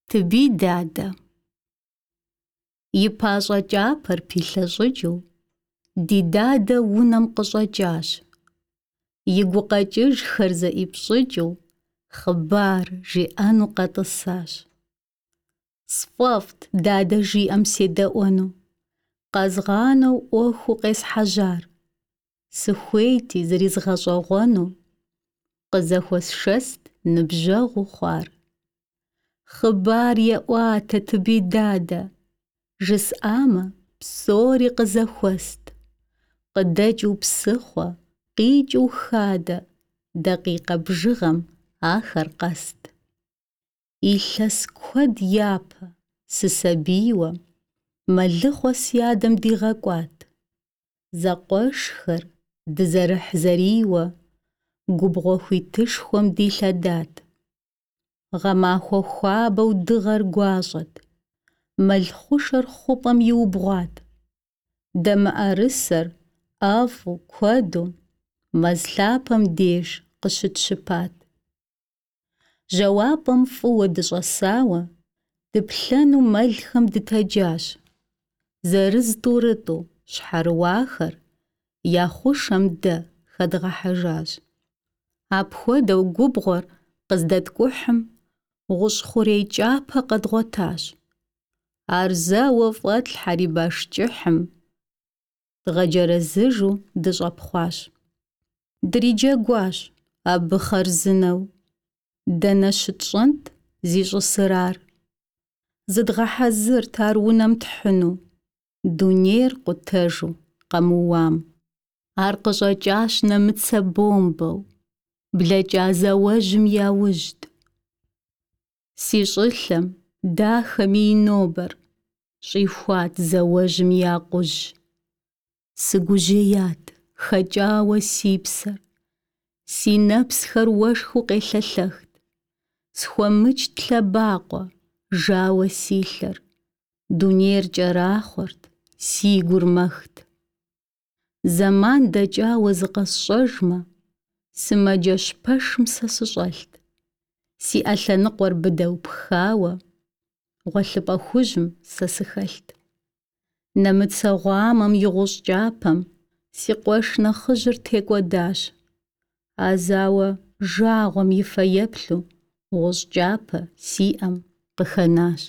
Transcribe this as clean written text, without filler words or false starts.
Тыбий дадэ. И пащӏэ кӏапэр пилъэщӏыкӏыу ди дадэ унэм къыщӏэкӏащ. И гукъэкӏыжхэр зэӏипщӏыкӏыу хъыбар жиӏэну къэтӏысащ. Сфӏэфӏт дадэ жиӏэм седэӏуэну, къэзгъанэу ӏуэхуу къесхьэжьар. Сыхуейти зризгъэщӏэгъуэну, къызэхуэсшэст ныбжьэгъуу хъуар. Хъыбар еӏуатэ Тыбий дадэ, жысӏамэ, псори къызэхуэст. Къыдэкӏыу псыхъуэ, къикӏыу хадэ, дакъикъэ бжыгъэм ахэр къэст. Илъэс куэд япэ, сысабийуэ, мэлыхъуэ си адэм дигъэкӏуат. Зэкъуэшхэр дызэрыхьзэрийуэ губгъуэ хуитышхуэм дилъэдат. Гъэмахуэ хуабэу дыгъэр гуащӏэт, мэл хъушэр хъупӏэм иубгъуат. Дэ мыӏэрысэр ӏэфӏу, куэду мэз лъапэм деж къыщытщыпат. Жьауапӏэм фӏыуэ дыщӏэсауэ, дыплъэну мэлхэм дытэджащ. Зырыз-тӏурытӏу щхьэрыуахэр я хъушэм дэ хэдгъэхьэжащ. Апхуэдэу губгъуэр къыздэткӏухьым, гъущӏ хъурей кӏапэ къэдгъуэтащ. Ар зэуэ фӏэтлъхьэри баш кӏыхьым дгъэджэрэзыжу дыщӏэпхъуащ. Дриджэгуащ абы хъарзынэу. Дэнэ щытщӏэнт зищӏысыр ар? Зыдгъэхьэзырт ар унэм тхьыну, дунейр къутэжу къэмыуам. Ар къыщӏэкӏащ нэмыцэ бомбэу, блэкӏа зауэжьым яужьт. Си щӏылъэм, дахэми и нобэр, щӏихуат зауэжьым и акъужь. Сыгужьеят, хэкӏауэ си псэр, си нэпсхэр уэшхыу къелъэлъэхт. Схуэмычт лъэбакъуэ, жауэ си лъэр, дунейр кӏэрахъуэрт, си гур мэхт. Зэман дэкӏауэ зыкъэсщӏэжмэ, сымаджэщ пэшым сэ сыщӏэлът. Си ӏэ лъэныкъуэр быдэу пхауэ, гъуэлъыпӏэ хужьым сэ сыхэлът. Нэмыцэ гъуамэм и гъущӏ кӏапэм си къуэш нэхъыжьыр текӏуэдащ. А зауэ жагъуэм и фэеплъу гъущӏ кӏапэ си ӏэм къыхэнащ.